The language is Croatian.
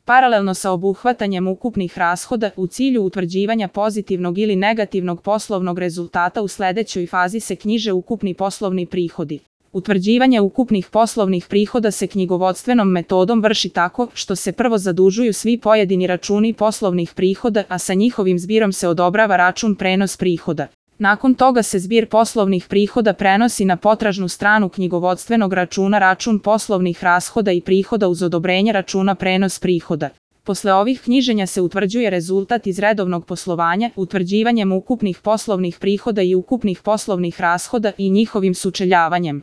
Paralelno sa obuhvatanjem ukupnih rashoda, u cilju utvrđivanja pozitivnog ili negativnog poslovnog rezultata u sledećoj fazi se knjiže ukupni poslovni prihodi. Utvrđivanje ukupnih poslovnih prihoda se knjigovodstvenom metodom vrši tako što se prvo zadužuju svi pojedini računi poslovnih prihoda, a sa njihovim zbirom se odobrava račun prenos prihoda. Nakon toga se zbir poslovnih prihoda prenosi na potražnu stranu knjigovodstvenog računa račun poslovnih rashoda i prihoda uz odobrenje računa prenos prihoda. Posle ovih knjiženja se utvrđuje rezultat iz redovnog poslovanja, utvrđivanjem ukupnih poslovnih prihoda i ukupnih poslovnih rashoda i njihovim sučeljavanjem.